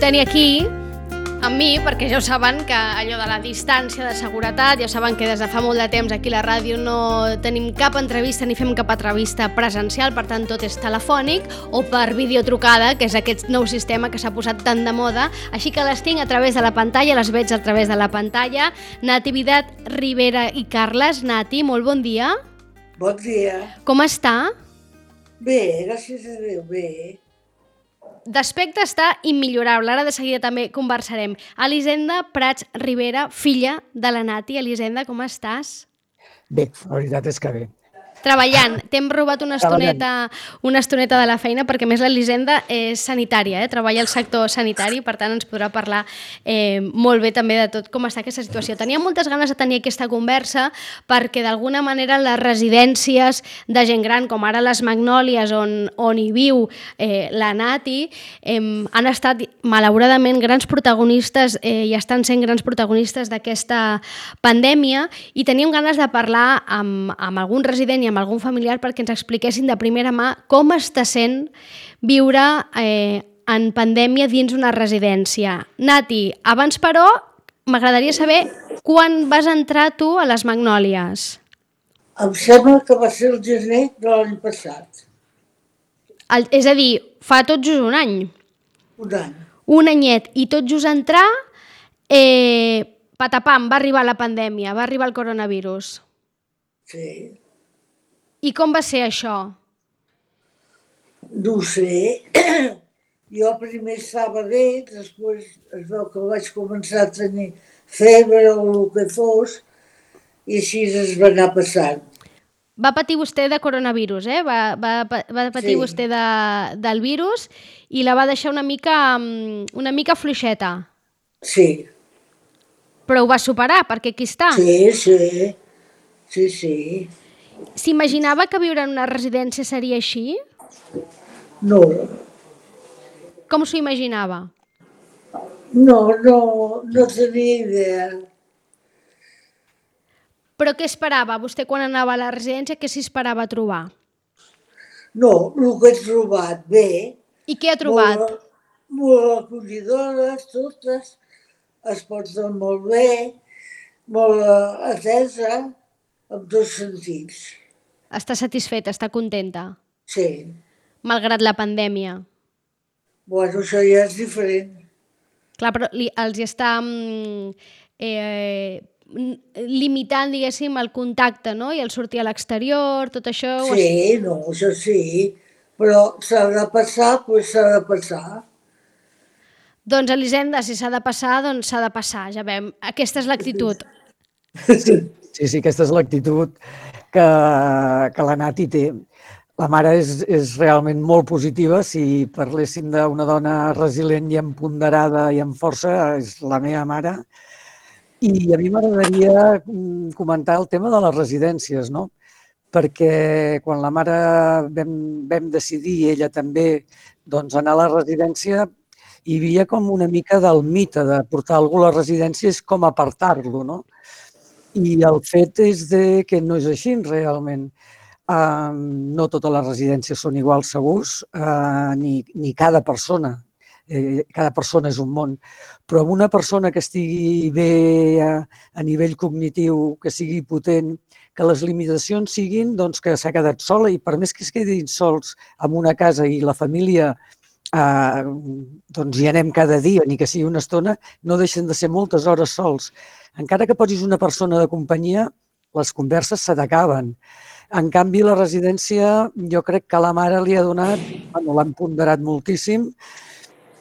tenir aquí amb mi, perquè ja ho saben que allò de la distància de seguretat, ja saben que des de fa molt de temps aquí a la ràdio no tenim cap entrevista ni fem cap entrevista presencial, per tant tot és telefònic o per videotrucada, que és aquest nou sistema que s'ha posat tan de moda, així que les tinc a través de la pantalla, les veig a través de la pantalla. Nativitat Rivera i Carles. Nati, molt bon dia. Bon dia. Com està? Bé, gràcies a Déu, bé. D'aspecte està immillorable, ara de seguida també conversarem. Elisenda Prats Rivera, filla de la Nati. Elisenda, com estàs? Bé, la veritat és que bé. Treballant. T'hem robat una estoneta de la feina perquè més l'Elisenda és sanitària, treballa al sector sanitari, per tant ens podrà parlar molt bé també de tot com està aquesta situació. Tenia moltes ganes de tenir aquesta conversa perquè d'alguna manera les residències de gent gran, com ara les Magnòlies on hi viu la Nati, han estat malauradament grans protagonistes i estan sent grans protagonistes d'aquesta pandèmia, i teníem ganes de parlar amb algun resident i amb algun familiar perquè ens expliquessin de primera mà com està sent viure en pandèmia dins una residència. Nati, abans però m'agradaria saber quan vas entrar tu a les Magnòlies. Em sembla que va ser el gener de l'any passat. És a dir, fa tot just un any. Un any. Un anyet. I tot just entrar, patapam, va arribar la pandèmia, va arribar el coronavirus. Sí. I com va ser això? No ho sé. Jo primer estava bé, després es veu que vaig començar a tenir febre o el que fos, i així es va anar passant. Va patir vostè de coronavirus, Va patir vostè del virus i la va deixar una mica fluixeta. Sí. Però ho va superar, perquè aquí està. Sí. S'imaginava que viure en una residència seria així? No. Com s'ho imaginava? No tenia idea. Però què esperava? Vostè quan anava a la residència, què s'hi esperava trobar? No, el que he trobat, bé. I què ha trobat? Molt acollidores, totes. Es porten molt bé, molt atesa, en tots sentits. Està satisfeta, està contenta? Sí. Malgrat la pandèmia? Bueno, això ja és diferent. Clar, però els està limitant, diguéssim, el contacte, no? I el sortir a l'exterior, tot això... Sí, això sí, però s'ha de passar, doncs s'ha de passar. Doncs, Elisenda, si s'ha de passar, doncs s'ha de passar, ja veiem. Aquesta és l'actitud. Sí, aquesta és l'actitud que la Nati té. La mare és realment molt positiva. Si parléssim d'una dona resilient i empoderada i amb força, és la meva mare. I a mi m'agradaria comentar el tema de les residències, no? Perquè quan la mare vam decidir, i ella també, doncs anar a la residència, hi havia com una mica del mite de portar algú a la residència és com apartar-lo, no? I el fet és que no és així realment. No totes les residències són iguals segurs, ni cada persona. Cada persona és un món. Però amb una persona que estigui bé a nivell cognitiu, que sigui potent, que les limitacions siguin que s'ha quedat sola, i per més que es quedin sols en una casa i la família hi anem cada dia, ni que sigui una estona, no deixen de ser moltes hores sols. Encara que posis una persona de companyia, les converses se t'acaben. En canvi, la residència, jo crec que la mare li ha donat, l'han ponderat moltíssim,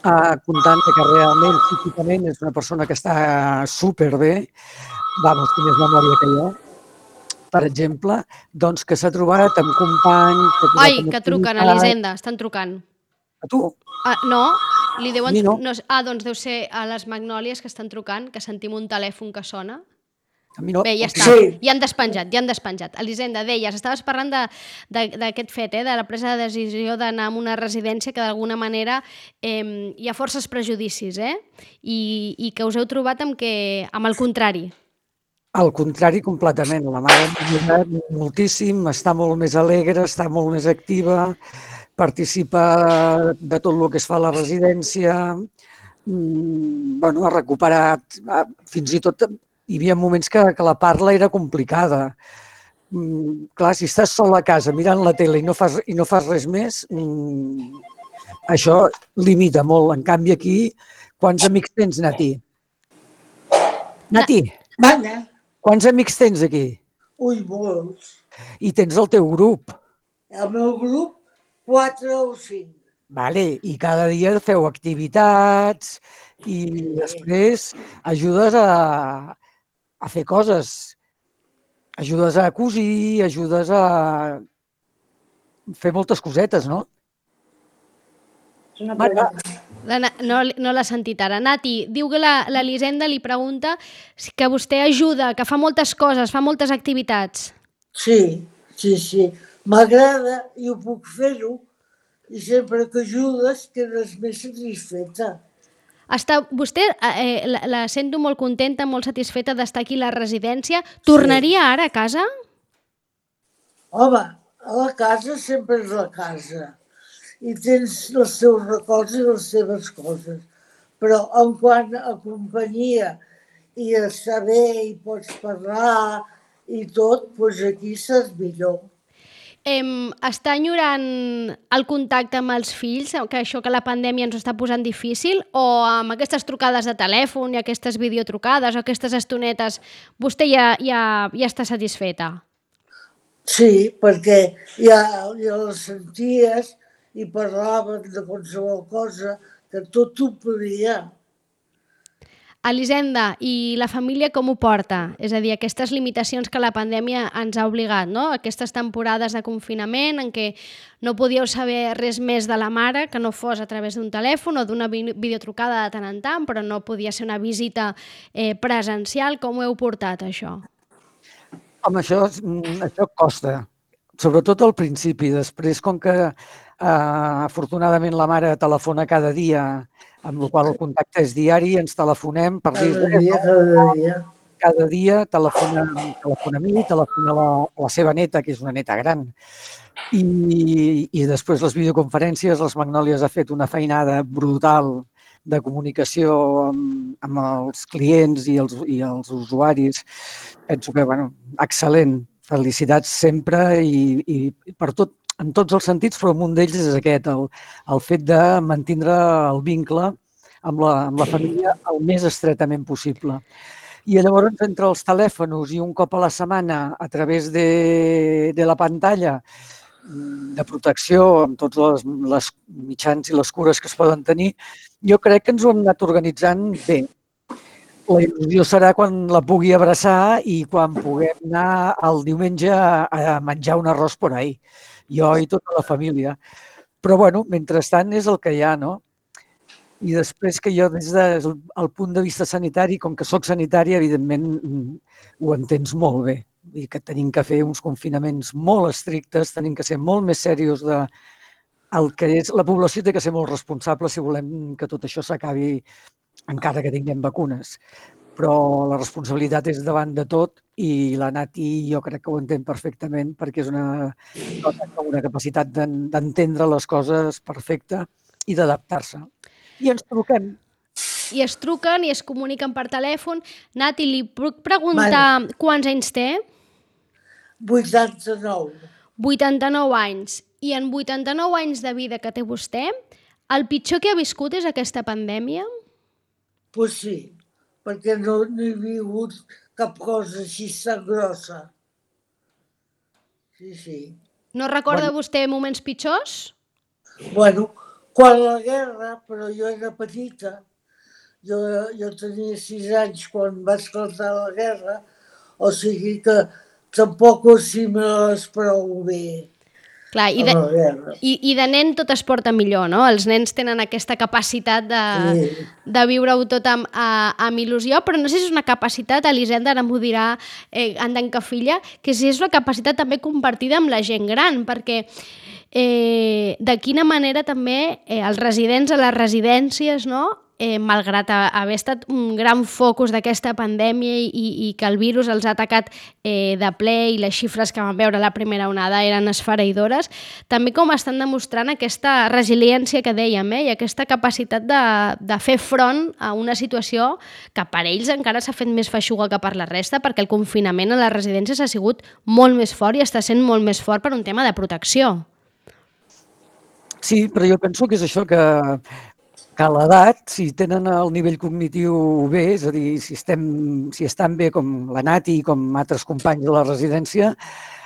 comptant que realment, psíquicament, és una persona que està superbé, té més memòria que jo, per exemple, doncs que s'ha trobat amb companys... Ai, que truquen, Elisenda, estan trucant. A tu? No, li deuen... No. Doncs deu ser a les Magnòlies que estan trucant, que sentim un telèfon que sona. A mi no. Bé, ja està, ja han despenjat. Elisenda, deies, estaves parlant d'aquest fet, de la presa de decisió d'anar a una residència que d'alguna manera hi ha forces prejudicis, i que us heu trobat amb el contrari. Al contrari, completament. La mare m'ha ajudat moltíssim, està molt més alegre, està molt més activa, participa de tot el que es fa a la residència, ha recuperat, fins i tot hi havia moments que la parla era complicada. Clar, si estàs sol a casa mirant la tele i no fas res més, això limita molt. En canvi, aquí, quants amics tens, Nati? Nati, quants amics tens aquí? Ui, molts. I tens el teu grup. El meu grup, 4 o 5. Vale, i cada dia feu activitats i després ajudes a fer coses. Ajudes a cosir, ajudes a fer moltes cosetes, no? No l'ha sentit ara. Nati, diu que l'Elisenda li pregunta que vostè ajuda, que fa moltes coses, fa moltes activitats. Sí. M'agrada i ho puc fer-ho. I sempre que ajudes quedes més satisfeta. Vostè la sento molt contenta, molt satisfeta d'estar aquí a la residència. Tornaria ara a casa? Home, a la casa sempre és la casa. I tens els teus records i les teves coses. Però en quant a companyia i a saber i pots parlar i tot, doncs aquí saps millor. Està enyorant el contacte amb els fills, que la pandèmia ens està posant difícil, o amb aquestes trucades de telèfon i aquestes videotrucades o aquestes estonetes vostè ja està satisfeta? Sí, perquè ja les senties i parlaven de qualsevol cosa, que tot ho podia. Elisenda, i la família com ho porta? És a dir, aquestes limitacions que la pandèmia ens ha obligat, no? Aquestes temporades de confinament en què no podíeu saber res més de la mare que no fos a través d'un telèfon o d'una videotrucada de tant en tant, però no podia ser una visita presencial. Com ho heu portat, això? Home, això costa, sobretot al principi. Després, com que afortunadament la mare telefona cada dia, amb la qual cosa el contacte és diari, ens telefonem per dir... Cada dia telefona a mi, telefona a la seva neta, que és una neta gran. I després les videoconferències, les Magnòlies ha fet una feinada brutal de comunicació amb els clients i els usuaris. Penso que, excel·lent. Felicitats sempre i per tot, en tots els sentits, però un d'ells és aquest, el fet de mantindre el vincle amb la família el més estretament possible. I llavors, entre els telèfons i un cop a la setmana a través de la pantalla de protecció amb tots els mitjans i les cures que es poden tenir, jo crec que ens ho hem anat organitzant bé. La il·lusió serà quan la pugui abraçar i quan puguem anar el diumenge a menjar un arròs por ahí. Jo i tota la família. Però, mentrestant és el que hi ha, no? I després que jo, des del punt de vista sanitari, com que soc sanitària, evidentment ho entens molt bé. Vull dir que tenim que fer uns confinaments molt estrictes, tenim que ser molt més serios el que és. La població té que ser molt responsable si volem que tot això s'acabi encara que tinguem vacunes. Però la responsabilitat és davant de tot i la Nati jo crec que ho entén perfectament perquè és una capacitat d'entendre les coses perfecta i d'adaptar-se. I ens truquem. I es truquen i es comuniquen per telèfon. Nati, li puc preguntar quants anys té? 89. 89 anys. I en 89 anys de vida que té vostè, el pitjor que ha viscut és aquesta pandèmia? Pues sí, perquè no he vingut cap cosa així tan grossa. Sí. No recorda vostè moments pitjors? Quan la guerra, però jo era petita, jo tenia 6 anys quan va esclatar la guerra, o sigui que tampoc si me l'esperau bé. Clar, i de nen tot es porta millor, no? Els nens tenen aquesta capacitat de viure-ho tot amb il·lusió, però no sé si és una capacitat, Elisenda ara m'ho dirà Andenca Filla, que si és una capacitat també compartida amb la gent gran, perquè de quina manera també els residents a les residències, no?, malgrat haver estat un gran focus d'aquesta pandèmia i que el virus els ha atacat de ple i les xifres que vam veure a la primera onada eren esfereïdores, també com estan demostrant aquesta resiliència que dèiem, i aquesta capacitat de fer front a una situació que per ells encara s'ha fet més feixuga que per la resta, perquè el confinament a les residències ha sigut molt més fort i està sent molt més fort per un tema de protecció. Sí, però jo penso que és això, que a l'edat, si tenen el nivell cognitiu bé, és a dir, si estan bé com la Nati i com altres companys de la residència,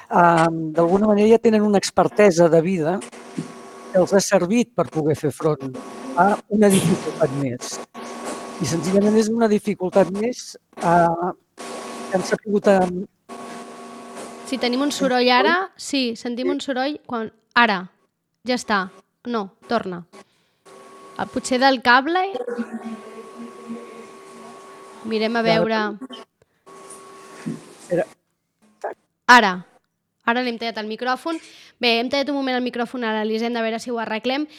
d'alguna manera ja tenen una expertesa de vida que els ha servit per poder fer front a una dificultat més. I senzillament és una dificultat més que han sabut... Si tenim un soroll ara, sí, sentim un soroll quan... Ara, ja està. No, torna. Potser del cable... Mirem a veure... Ara l'hem tallat el micròfon. Bé, hem tallat un moment el micròfon a l'Elisenda, a veure si ho arreglem.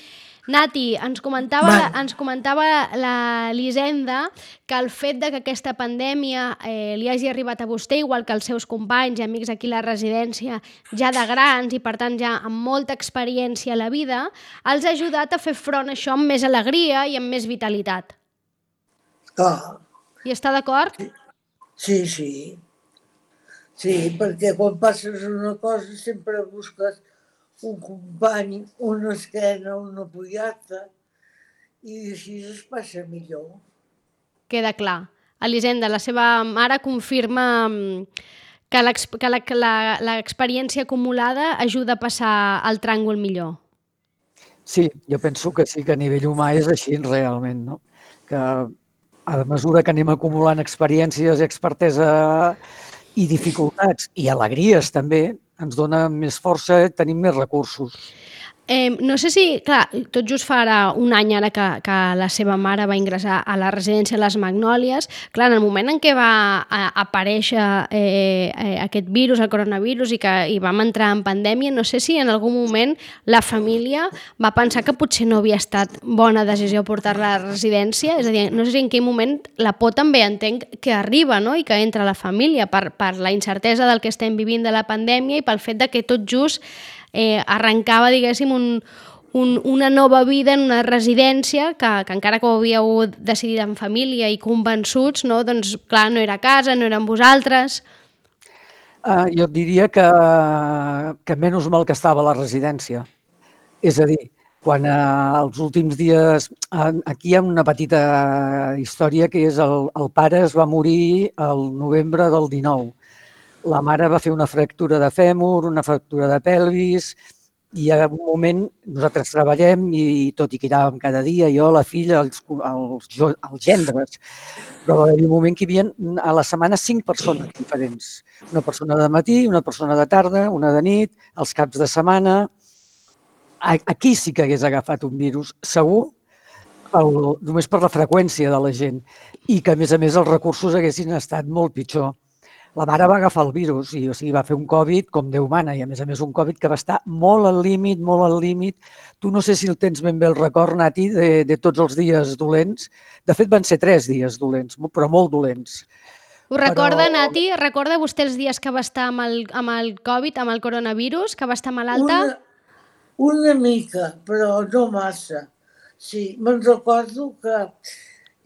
Nati, ens comentava la Elisenda que el fet de que aquesta pandèmia li hagi arribat a vostè, igual que als seus companys i amics aquí a la residència, ja de grans i per tant ja amb molta experiència a la vida, els ha ajudat a fer front a això amb més alegria i amb més vitalitat. Clar. I està d'acord? Sí. Sí, perquè quan passes una cosa sempre busques un company, una esquena, una apoyar-te, i així es passa millor. Queda clar. Elisenda, la seva mare confirma que l'experiència acumulada ajuda a passar el tràngol millor. Sí, jo penso que sí, que a nivell humà és així realment, no? Que a mesura que anem acumulant experiències, expertesa i dificultats i alegries també, ens dona més força, tenim més recursos. No sé si, clar, tot just farà un any ara que la seva mare va ingressar a la residència Les Magnòlies. Clar, en el moment en què va aparèixer aquest virus, el coronavirus, i vam entrar en pandèmia, no sé si en algun moment la família va pensar que potser no havia estat bona decisió portar-la a la residència. És a dir, no sé si en quin moment la por també entenc que arriba, no?, i que entra a la família per la incertesa del que estem vivint de la pandèmia i pel fet de que tot just arrencava, diguéssim, una nova vida en una residència que encara que ho havíeu decidit en família i convençuts, no? Doncs clar, no era a casa, no era amb vosaltres. Jo diria que menys mal que estava a la residència. És a dir, quan els últims dies... Aquí hi ha una petita història que és el pare es va morir el novembre del 19. La mare va fer una fractura de fèmur, una fractura de pelvis, i a un moment nosaltres treballem i tot i que anàvem cada dia, jo, la filla, els gendres, però va haver un moment que hi havia a la setmana 5 persones diferents. Una persona de matí, una persona de tarda, una de nit, els caps de setmana. Aquí sí que hagués agafat un virus, segur, només per la freqüència de la gent, i que a més els recursos haguessin estat molt pitjor. La mare va agafar el virus i va fer un Covid com Déu mana i a més un Covid que va estar molt al límit, molt al límit. Tu no sé si el tens ben bé el record, Nati, de tots els dies dolents. De fet, van ser 3 dies dolents, però molt dolents. Ho recorda, Nati? Recorda vostè els dies que va estar amb el Covid, amb el coronavirus, que va estar malalta? Una mica, però no massa. Sí, me'n recordo que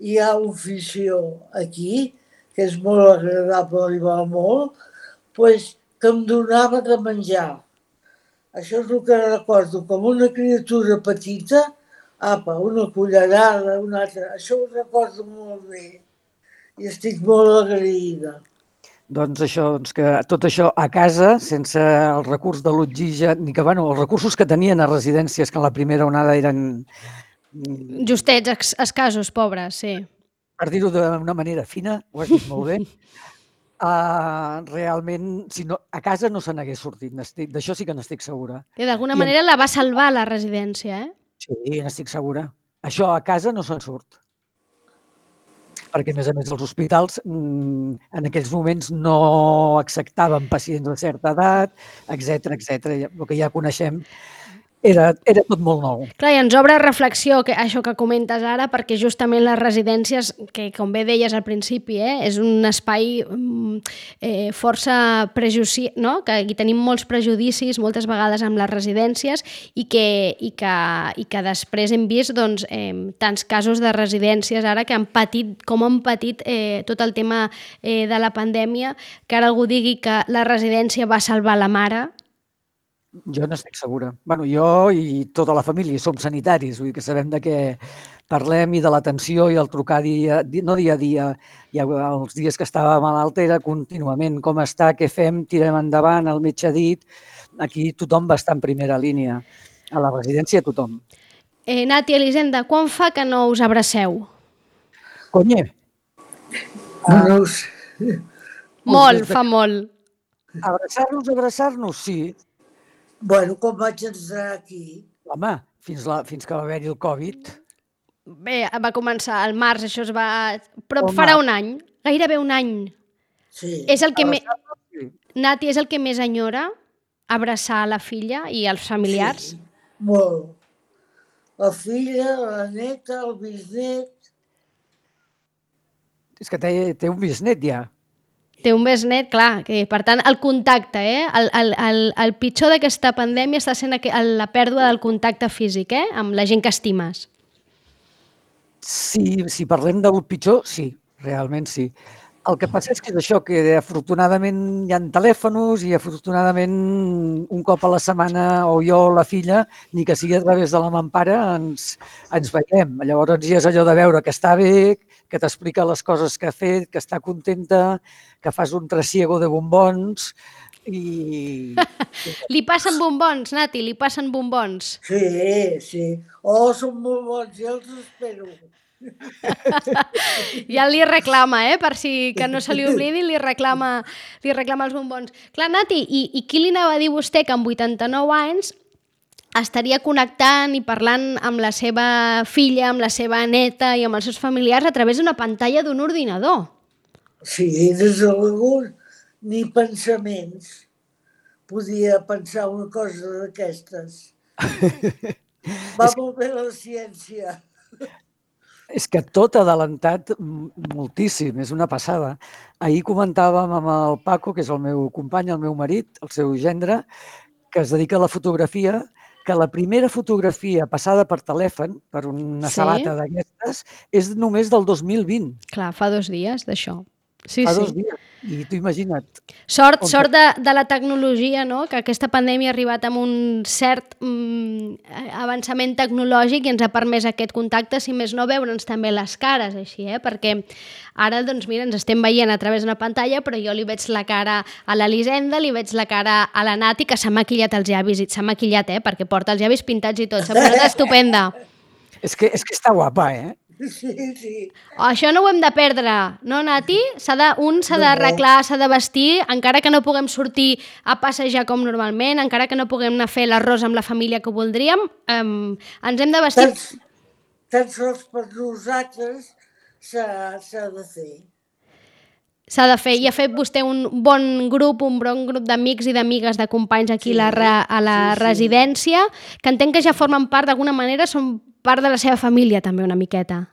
hi ha un fissió aquí, que és molt agradable i va molt, que em donava de menjar. Això és el que recordo, com una criatura petita, una cullerada, una altra. Això ho recordo molt bé i estic molt agraïda. Doncs això, que tot això a casa, sense el recurs de l'oxigen, ni que, els recursos que tenien a residències que en la primera onada eren... Justets, escassos, pobres, sí. Per dir-ho d'una manera fina, ho has dit molt bé, realment a casa no se n'hagués sortit, d'això sí que n'estic segura. I d'alguna manera la va salvar la residència, eh? Sí, n'estic segura. Això a casa no se'n surt. Perquè, a més, els hospitals en aquells moments no acceptaven pacients de certa edat, etc. El que ja coneixem. era tot molt nou. Clar, i ens obre reflexió això que comentes ara, perquè justament les residències, que com bé deies al principi, és un espai força prejudici, no? Que hi tenim molts prejudicis moltes vegades amb les residències i que després hem vist doncs, tants casos de residències ara que han patit, com han patit tot el tema de la pandèmia, que ara algú digui que la residència va salvar la mare. Jo n'estic segura. Bueno, jo i tota la família som sanitaris, vull dir que sabem de què parlem i de l'atenció i el trucar no dia a dia, i els dies que estava malalta era contínuament com està, què fem, tirem endavant, el metge ha dit. Aquí tothom va estar en primera línia. A la residència tothom. Nati, Elisenda, quan fa que no us abraceu? Conye. No ho sé. Molt, fa molt. Abraçar-nos, sí. Bueno, quan vaig entrar aquí... Home, fins que va haver-hi el Covid. Bé, va començar al març, això es va... Però farà un any, gairebé un any. Sí. És el que Nati, és el que més enyora, abraçar la filla i els familiars? Sí, molt. La filla, la neta, el bisnet... És que té un bisnet ja. Té un besnet, clar, que per tant el contacte, el pitjor d'aquesta pandèmia està sent la pèrdua del contacte físic, amb la gent que estimes. Sí, si parlem del pitjor, sí, realment sí. El que passa és que és això, que afortunadament hi ha telèfons i afortunadament un cop a la setmana o jo o la filla, ni que sigui a través de la mampara, ens veiem. Llavors ja és allò de veure que està bé, que t'explica les coses que ha fet, que està contenta, que fas un trasiego de bombons i... Li passen bombons, Nati, li passen bombons. Sí. Oh, són molt bons, ja els espero. Ja li reclama, per si que no se li oblidi, li reclama els bombons. Clar, Nati, i qui li anava a dir vostè que amb 89 anys estaria connectant i parlant amb la seva filla, amb la seva neta i amb els seus familiars a través d'una pantalla d'un ordinador? Sí, des de l'algun ni pensaments podia pensar una cosa d'aquestes. Va molt bé la ciència. És que tot ha adelantat moltíssim, és una passada. Ahir comentàvem amb el Paco, que és el meu company, el meu marit, el seu gendre, que es dedica a la fotografia, que la primera fotografia passada per telèfon, per una sabata d'aquestes, és només del 2020. Clar, fa 2 dies d'això. Sí, fa 2 dies. I tu imagina't. Sort de la tecnologia, no? Que aquesta pandèmia ha arribat amb un cert avançament tecnològic i ens ha permès aquest contacte, si més no, veure'ns també les cares, així, perquè ara, doncs mira, ens estem veient a través d'una pantalla, però jo li veig la cara a l'Elisenda, li veig la cara a la Nati, que s'ha maquillat els llavis, i s'ha maquillat, perquè porta els llavis pintats i tot, s'ha posat estupenda. És que està guapa, Sí. Això no ho hem de perdre, no, Nati? Un s'ha d'arreglar, s'ha de vestir, encara que no puguem sortir a passejar com normalment, encara que no puguem anar a fer l'arròs amb la família que voldríem, ens hem de vestir... Tan sols per nosaltres s'ha de fer. S'ha de fer, i ha fet vostè un bon grup d'amics i d'amigues, de companys aquí a la residència, que entenc que ja formen part, d'alguna manera, són part de la seva família també una miqueta.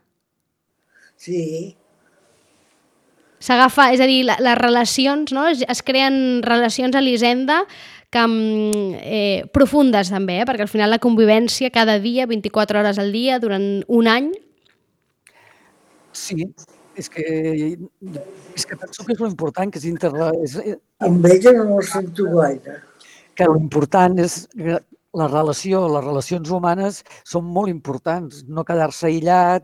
Sí. S'agafa, és a dir, les relacions, no? Es creen relacions a l'Elisenda profundes també, perquè al final la convivència cada dia, 24 hores al dia, durant un any... Sí, és que penso que és l'important, que és... Amb ella no ho sento gaire. Que l'important és... Les relacions humanes són molt importants, no quedar-se aïllat,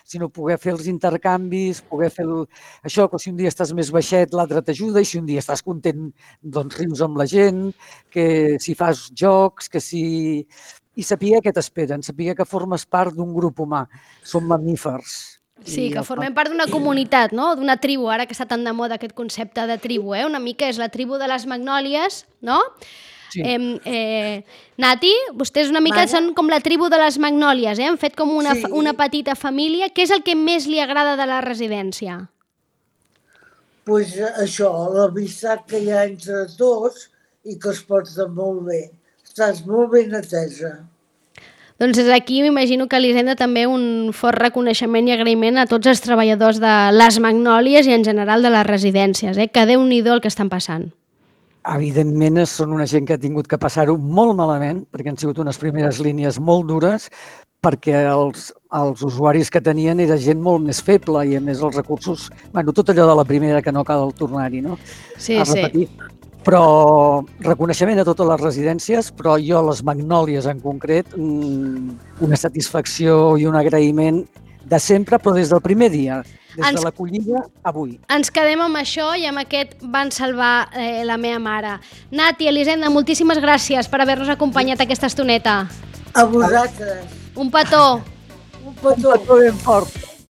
sinó poder fer els intercanvis, poder fer això, que si un dia estàs més baixet l'altre t'ajuda, i si un dia estàs content doncs rius amb la gent, que si fas jocs, que si... I saber què t'esperen, saber que formes part d'un grup humà, som mamífers. Sí, que formem part d'una comunitat, no? D'una tribu, ara que està tan de moda aquest concepte de tribu, una mica és la tribu de les magnòlies, no? Sí. Nati, vostès una mica són com la tribu de les magnòlies, han fet com una petita família. Què és el que més li agrada de la residència? Doncs això, l'amistat que hi ha entre tots i que es porta molt bé. estàs molt ben atesa. Doncs des d'aquí m'imagino que l'Hisenda també un fort reconeixement i agraïment a tots els treballadors de les Magnòlies i en general de les residències, que Déu-n'hi-do el que estan passant. Evidentment, són una gent que ha tingut que passar-ho molt malament, perquè han sigut unes primeres línies molt dures, perquè els usuaris que tenien era gent molt més feble i, a més, els recursos... Bueno, tot allò de la primera que no cal tornar-hi, no? Sí, a repetir. Però reconeixement a totes les residències, però jo a les Magnòlies en concret, una satisfacció i un agraïment de sempre, però des del primer dia, des de l'acollida avui. Ens quedem amb això i amb aquest van salvar la meva mare. Nati, Elisenda, moltíssimes gràcies per haver-nos acompanyat aquesta estoneta. A vosaltres. Un petó. Un petó. Un petó ben fort.